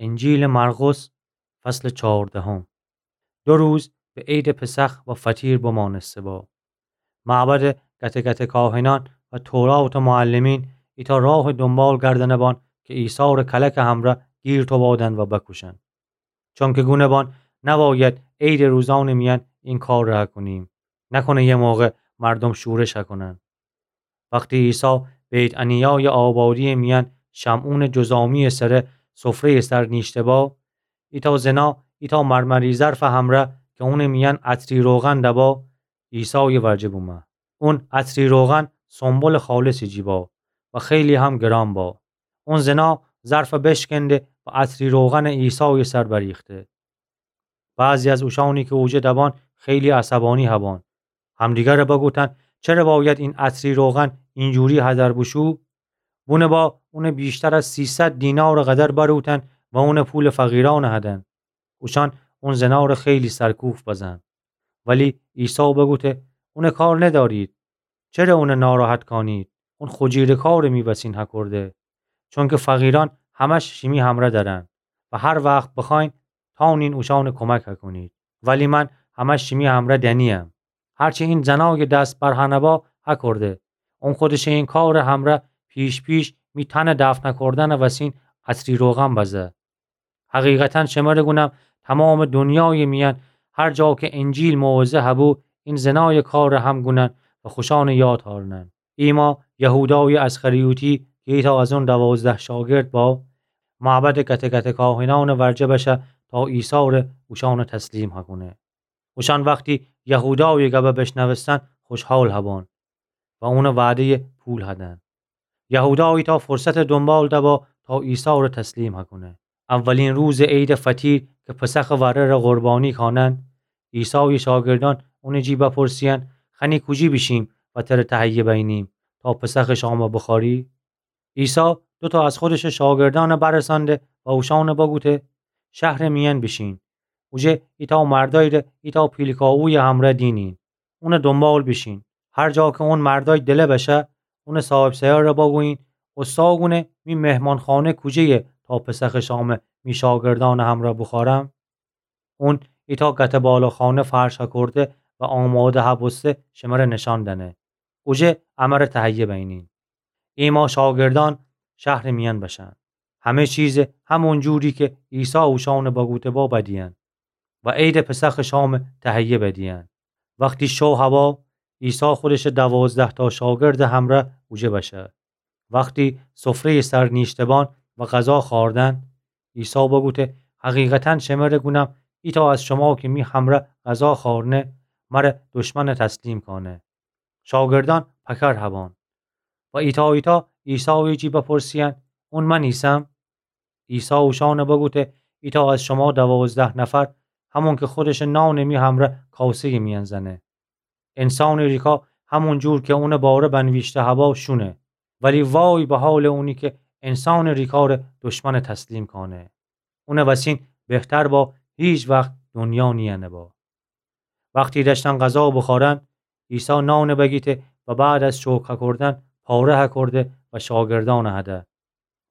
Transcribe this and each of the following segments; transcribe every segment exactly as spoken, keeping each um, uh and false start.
انجیلٚ مرقس، فصلٚ چهاردهم. دو روز به عیدٚ پسخ و فطیر بمانسته با. معبدٚ گته گته کاهنأن و توراتٚ معلمین ایتأ راهٚ دونبال گردنه بان که عیسی ره کلکٚ همرأ گیر توبادن و بکوشن. چونکه گونه بان نباید عیدٚ روزأنٚ میأن این کار ره کنیم، نکنه یه موقع مردوم شورش کنن. وختی عیسی بیت‌عنیایٚ آبادی‌یٚ میأن شمعونٚ جذامی‌یٚ سره سفره‌یٚ سر نیشته با، ایتأ زنا ایتأ مرمری ظرفٚ همرأ که اونٚ میأن عطری روغن دبا، عیسایٚ ورجه بومه. اون عطری روغن سنبلٚ خالصٚ جی با و خیلی هم گران با. اون زنا ظرف بشکنده و عطری روغن عیسایٚ سر بریخته. بعضی از اوشأنی که اوجه دبان خیلی عصبانی هبان. همدیگره بگوتن: چره باید این عطری روغن اینجوری هدر بوشو؟ بونه با اونه بیشتر از سیصد دینارٚ قدر بروتن و اونه پولٚ فقیرأن هدن. اوشأن اون زناره خیلی سرکوفت بزن. ولی عیسی بگوته: اونه کار ندارید. چره اونه ناراحت کانید؟ اون خو جیرٚ کارٚ می وسین هکورده. چونکه فقیرأن همش شیمی همرأ درن و هر وخت بخوأین تانین اوشأنٚ کمک هکونید. ولی من همش شیمی همرأ دنییم. هرچی این زنایٚ دست برهنه با هکورده. اون خودشٚ این کارٚ همرأ پیش پیش می تنٚ دفن هکوردنٚ وسین عطری روغن بزه. حقیقتاً شمره گونم، تمامٚ دونیایٚ میأن هر جا که انجیل موعظه هبو، این زنایٚ کارٚ هم گونن و خوشأنٚ یاد هارنن. ایما یهودایٚ اسخریوطی که ایتأ از اون دوازده شاگرد با، معبدٚ گته گته کاهنأنٚ ورجه بشه تا عیسی ره اوشأنٚ تسلیم هکونه. اوشأن وختی یهودایٚ گبه بشنوستن خوشحال هبان و اونٚ وعده‌یٚ پول هدن. یهودا ایتأ فرصتٚ دونبال دبا تا عیسی ره تسلیم هکونه. اولین روزٚ عیدٚ فطیر که پسخٚ وره ره قربانی کانن، عیسایٚ شاگردأن اونٚ جی بپرسیین: خنی کوجی بیشیم و تره تهیه بینیم تا پسخٚ شامه بوخوری؟ عیسی دوتا از خودشٚ شاگردأنه برسأنده و اوشأنه بگوته: شهرٚ میأن بیشین. اوجه ایتأ مردای ره ایتأ پیلکاوویٚ همرأ دینین. اونه دونبال بیشین. هر جا که اون مردای دله بشه، اونٚ صاحب‌سرأ ره بگویین: اوستا گونه می مهمانخانه کوجه‌یه تا پسخٚ شامه می شاگردأنٚ همرأ بوخورم؟ اون ایتأ گته بالاخانه فرش هکورده و آماده هبوسته شمره نشان دنه. اوجه امره تهیه بینین. ایما شاگردأن شهرٚ میأن بشن. همه چیزه همون جوری که عیسی اوشأنه بگوته با بدیین و عیدٚ پسخٚ شامه تهیه بدیین. وختی شو هوا، عیسی خودشٚ دوازده‌تا شاگردٚ همرأ اوجه بشه. وختی سفره‌یٚ سر نیشته‌بان و غذا خوأردن، عیسی بگوته: حقیقتاً شمره گونم، ایتأ از شما که می همرأ غذا خوأرنه، مره دشمنٚ تسلیم کانه. شاگردأن پکر هبان و ایتأ ایتأ عیسایٚ جی بپرسیین: اون من ایسم؟ عیسی اوشأنه بگوته: ایتأ از شما دوازده نفر، همون که خودشٚ نانٚ می همرأ کاسه‌یٚ میأن زنه. انسانٚ ریکا همون جور که اونٚ باره بنویشته هبا شونه، ولی وای به حالٚ اونی که انسانٚ ریکا ره دشمنٚ تسلیم کانه. اونٚ وسین بهتر با هیچ وخت دونیا نیأنه با. وختی دأشتن غذا بوخوأرن، عیسی نانٚ بگیته و بعد از شکر هکوردن پاره هکورده و شاگردأنٚ هده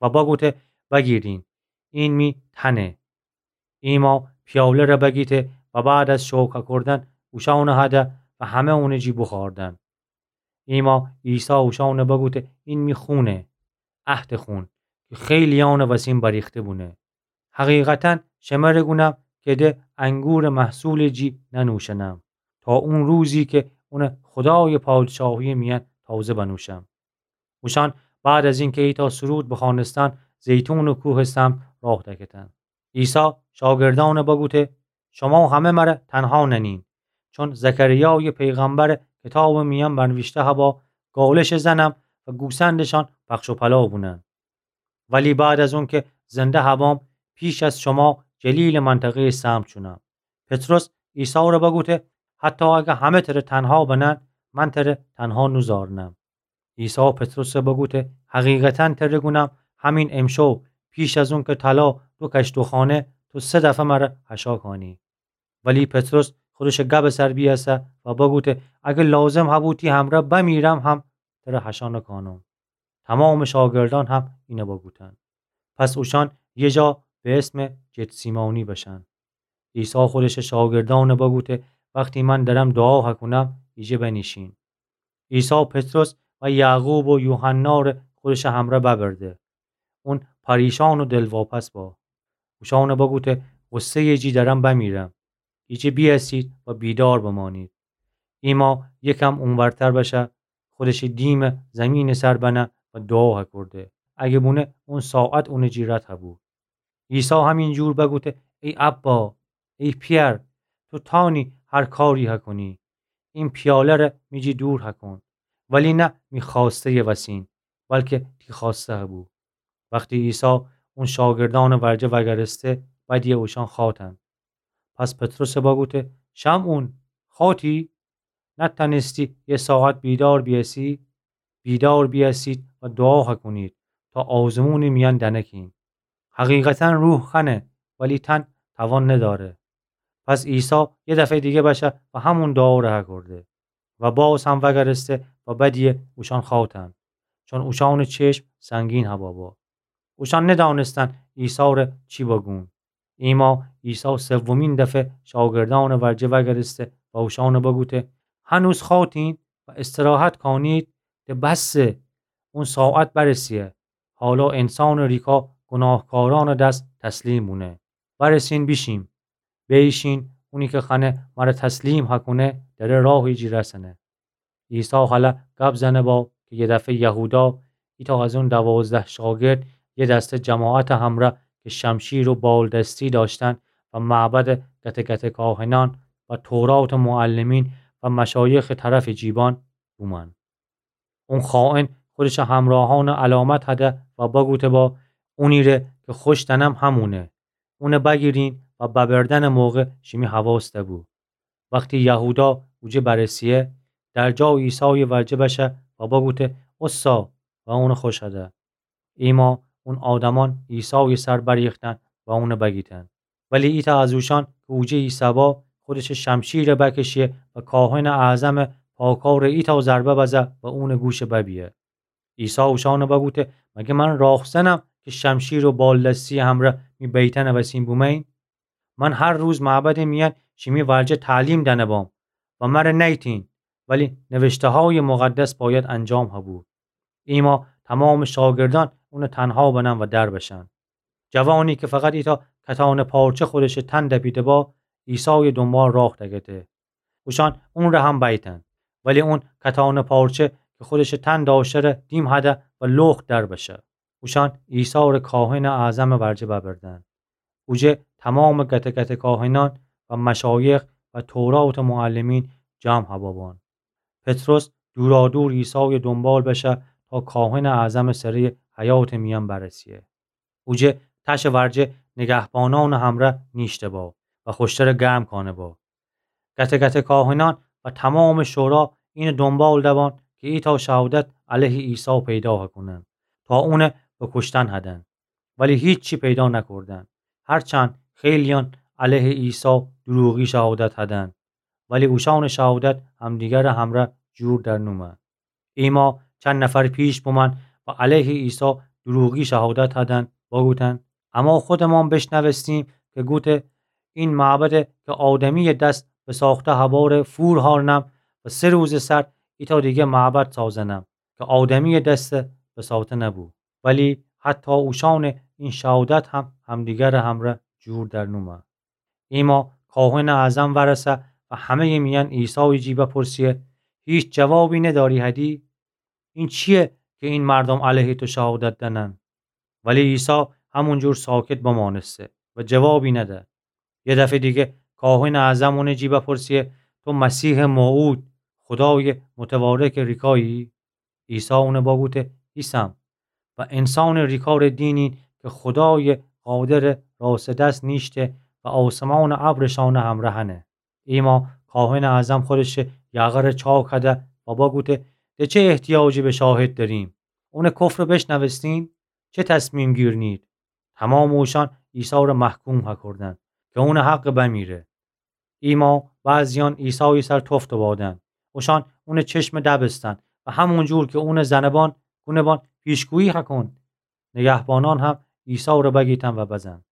و بگوته: بگیرین، این می تنه. ایما پیاله ره بگیته و بعد از شکر هکوردن اوشأنٚ هده و همه اونٚ جی بوخوأردن. ایما عیسی اوشأنه بگوته: این می خونه، عهدٚ خون، که خیلیأنٚ وسین بریخته بونه. حقیقتاً شمره گونم که ده انگورٚ محصولٚ جی ننوشنم تا اون روزی که اونه خودایٚ پادشاهیٚ میأن تازه بنوشم. اوشأن بعد از اینکه ایتأ سرود بخوأنستن، زیتونٚ کوهٚ سمت راه دکتن. عیسی شاگردأنٚ بگوته: شما همه مره تنها ننین، چون زکریایٚ پیغمبرٚ کتابٚ میأن بنویشته هبا: گالش زنم و گوسندشان پخش و پلا بونن. ولی بعد از اونکه زنده هبام، پیش از شما جلیلٚ منطقه‌یٚ سمت شونم. پطرس عیسی ره بگوته: حتی اگه همه تره تنها بنن، من تره تنها نوزارنم. عیسی پطرسه بگوته: حقیقتاً تره گونم، همین امشو پیش از اونکه طلا دو کشت و خانه، تو سه دفعه مره حشا کانی. ولی پطرس خودشٚ گبٚ سر بیأسه و بگوته: اگه لازم هبو تی همرأ بمیرم هم تره حشا نکانم. تمامٚ شاگردأن هم اینه بگوتن. پس اوشأن یه جا به اسمٚ گتسیمانی بشن. عیسی خودشٚ شاگردأن بگوته: وختی من درم دوعا هکونم، ایجه بنیشین. عیسی پطرس و یعقوب و یوحنا ره خودشٚ همرأ ببرده. اون پریشأن و دلواپس با. اوشأن بگوته: غصه‌یٚ جی درم بمیرم. ایجه بیأسید و بیدار بمأنید. ایما یکم اونورتر بشه، خودشٚ دیمٚ زیمینٚ سر بنه و دوعا هکورده. اگه بونه اون ساعت اونٚ جی رد هبو. عیسی همین جور بگوته: ای ابا، ای پئر، تو تأنی هر کاری هکونی. این پیاله ره می جی دور هکون، ولی نه می خوأسته‌یٚ وسین، بلکه تی خوأسته هبو. وختی عیسی اون شاگردأنٚ ورجه وأگرسته، بدیه اوشأن خوأتن. پس پطرس بگوته: شمعون، خوأتی؟ نتأنستی یه ساعت بیدار بیأسی؟ بیدار بیأسید و دوعا هکونید تا آزمونٚ میأن دنکین. حقیقتاً روح خنه، ولی تن توان نداره. پس عیسی یه دفعه‌یٚ دیگه بشه و همون دوعا ره هکورده و باز هم وأگرسته و بدیه اوشأن خوأتن، چون اوشأنٚ چشم سنگین هبا با. اوشأن ندأنستن عیسی ره چی بگون. ایما عیسی سومین دفعه شاگردأنٚ ورجه وأگرسته و اوشأن بگوته: هنوز خوأتین و استراحت کانید؟ ده بسه، اون ساعت برسیه. حالا انسانٚ ریکا گوناهکارأنٚ دس تسلیم بونه. برسین بیشیم. بیشین، اونی که خوأنه مره تسلیم هکونه، دره راهٚ جی رسنه. عیسی هله گب زنه با که یه دفعه یهودا، ایتأ از اون دوازده شاگرد، یه دسته جماعتٚ همرأ که شمشیر و بالدستی دأشتن و معبدٚ گته گته کاهنأن و توراتٚ معلمین و مشایخٚ طرفٚ جیبان بومأن. اون خائن خودشٚ همراهأن علامت هده و بگوته با: اونی ره که خوش دأنم همونه. اون بگیرین و ببردنٚ موقع شیمی حواس دبو. وختی یهودا اوجه برسیه، در جا عیسایٚ ورجه بشه و بگوته: اوستا، و اون خوش هده. ایما اون آدمأن عیسایٚ سر بریختن و اون بگیتن. ولی ایتأ از اوشأن که اوجه ایسه‌با، خودشٚ شمشیر بکشه و کاهنٚ اعظمٚ پاکا ره ایتأ ضربه بزه و اونٚ گوش ببیه. عیسی اوشأن بگوته: مگه من راهزنم که شمشیر و بالدستی همرأ می بیتنٚ وسین بومه‌یین؟ من هر روز معبدٚ میأن شیمی ورجه تعلیم دأنه بام و مره نیتین، ولی نوشته‌هایٚ مقدس بأید انجام هبو. ایما تومامٚ شاگردأن اون تنها بنن و در بشن. جوانی که فقط ایتأ کتانٚ پارچه خودشٚ تن دپیده با، عیسایٚ دونبال راه دکته. اوشأن اون ره هم بیتن، ولی اون کتانٚ پارچه که خودشٚ تن دأشتره دیم هده و لخت در بشه. اوشأن عیسی ره کاهنٚ اعظمٚ ورجه ببردن. اوجه تومامٚ گته گته کاهنأن و مشایخ و توراتٚ معلمین جمع هبابان. پطرس دورادور عیسایٚ دونبال بشه تا کاهنٚ اعظمٚ سره‌یٚ حیاطٚ میأن برسیه. اوجه تشٚ ورجه نگهبانأنٚ همرأ نیشته با و خوشتره گرم کانه با. گته گته کاهنأن و تومامٚ شورا اینٚ دونبال دبان که ایتأ شهادت علیه عیسی پیدا هکونن تا اون بکوشتن هدن. ولی هیچی پیدا نکردن، هرچند خیلیأن علیه عیسی دروغی شهادت هدن، ولی اوشأنٚ شهادت همدیگرٚ همرأ جور در نومه. ایما چند نفر پیش بومأن و علیه عیسی دروغی شهادت هدن، بگوتن: اما خودمان بشنوستیم که گوته: این معبد که آدمیٚ دس بساخته هباره فور هارنم و سه روزٚ سر ایتأ دیگه معبد سازنم که آدمیٚ دس بساته نبو. ولی حتی اوشأنٚ این شهادت هم همدیگرٚ همرأ جور در نومه. ایما کاهنٚ اعظم ورسه و همه‌یٚ میأن عیسایٚ جی بپرسیه: هیچ جوابی نداری هدی؟ این چیه که این مردم علیه تو شهادت دنن؟ ولی عیسی همونجور ساکت بمانسته و جوابی نده. یه دفعه دیگه کاهنٚ اعظم اونٚ جی بپرسیه: تو مسیحٚ موعود، خدایٚ متوارکٚ ریکایی؟ عیسی اون بگوته: ایسم. و انسانٚ ریکا ره دینین که خدایٚ قادرٚ راستٚ دس نیشته و آسمانٚ ابرشانٚ همره هنه. ایما کاهنٚ اعظم خودشٚ یقه ره چاک کده و بگوته: ده چه احتیاجی به شاهد داریم؟ اونٚ کفر بشنوستین؟ چه تصمیم گیرنید؟ تومامٚ اوشان عیسی ره محکوم هکردن که اونٚ حق بمیره. ایما بعضیان عیسایٚ سر تفت بادن. اوشان اونٚ چشم دبستن و همونجور که اونٚ زنبان گونبان پیشگویی هکن، نگهبانان هم عیسی ره بگیتن و بزن.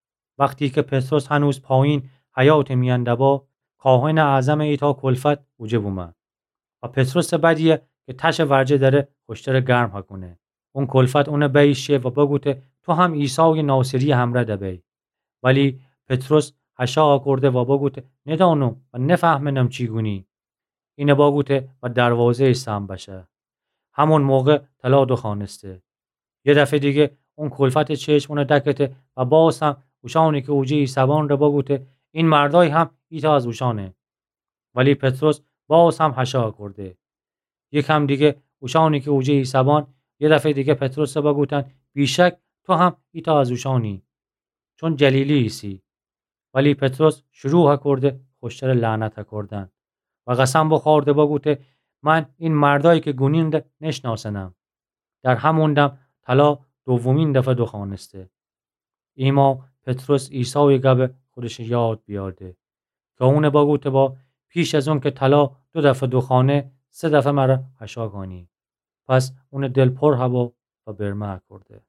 وختی کی پطرس هنوز پایین حیاطٚ میأن دبا، کاهنٚ اعظمٚ ایتأ کلفت اوجه بومه و پطرسٚ بدیه کی تشٚ ورجه دأره خوشترٚ گرم هکونه. اون کلفت اونٚ بأیی شه و بگوته: تو هم عیسایٚ ناصریٚ همرأ دبی. ولی پطرس هشا هکورده و بگوته: ندأنم و نفهمنم چی گونی. اینه بگوته و دروازه‌یٚ سهم بشه. همون موقع طلا دوخوأنسته. یه دفعه دیگه اون کلفتٚ چشم اونه دکته و باز هم اوشأنی کی اوجه ایسهبان ره بگوته: این مردأی هم ایتأ از اوشأنه. ولی پطرس باز هم هشا هکورده. یکم دیگه اوشأنی کی اوجه ایسهبان یه دفعه دیگه پطرس ره بگوتن: بیشک تو هم ایتأ از اوشأنی، چون جلیلی ایسی. ولی پطرس شروع هکورده خوشترٚ لعنت هکوردن و قسم بوخورده بگوته: من این مردأیی کی گونین ره نشنأسنم. در همون دم طلا دومین دفعه دوخوأنسته. ایما پطرس عیسایٚ گبه خودشٚ یاد بیأرده کی اونه بگوته با: پیش از اونکی طلا دو دفعه دوخوأنه، سه دفعه مره هشا کونی. پس اونٚ دل پر هبا و برمه هکورده.